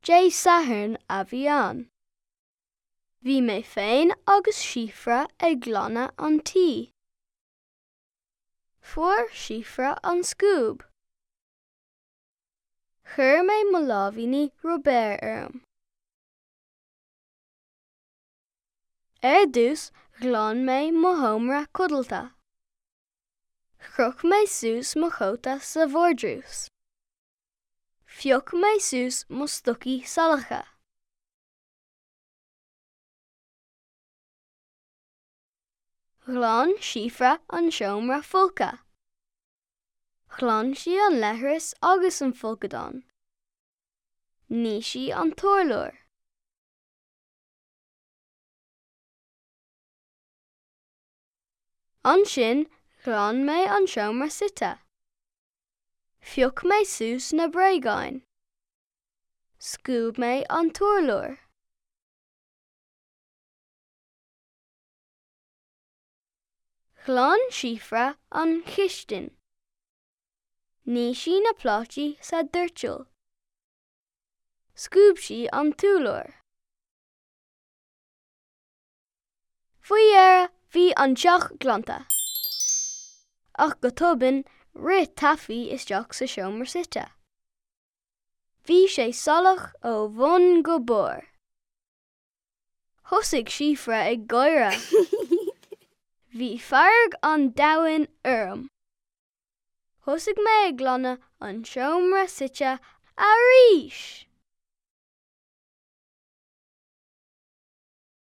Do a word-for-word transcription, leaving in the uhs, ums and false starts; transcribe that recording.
Dé Sathairn a bhí ann. Bhí mé féin agus Síofra ag glanadh an tí. Fuair Síofra an scuab. Chuir mé mo láimhíní rubair orm. Ar dtús ghlan mé mo sheomra codlata. Chroch mé suas mo chóta sa vardrús. Phioc mé suas mo stocaí salacha. Ghlan Síofra an seomra folctha. Ghlan sí an leithreas agus an folcadán. Nigh sí an t-urlár. Ansin ghlan mé an seomra suite. Phioc mé suas na bréagáin. Scuab mé an t-urlár. Ghlan Síofra an chistin. Nigh sí na plátaí sa doirteal. Scuab sí an t-urlár. Faoi dheireadh bhí an teach glanta. Ach go tobann rith Taffy isteach sa seomra suite. Bhí sé salach ó bhun go barr. Thosaigh Síofra ag gáire. Bhí fearg an domhain orm. Thosaigh mé ag glanadh an seomra suite arís.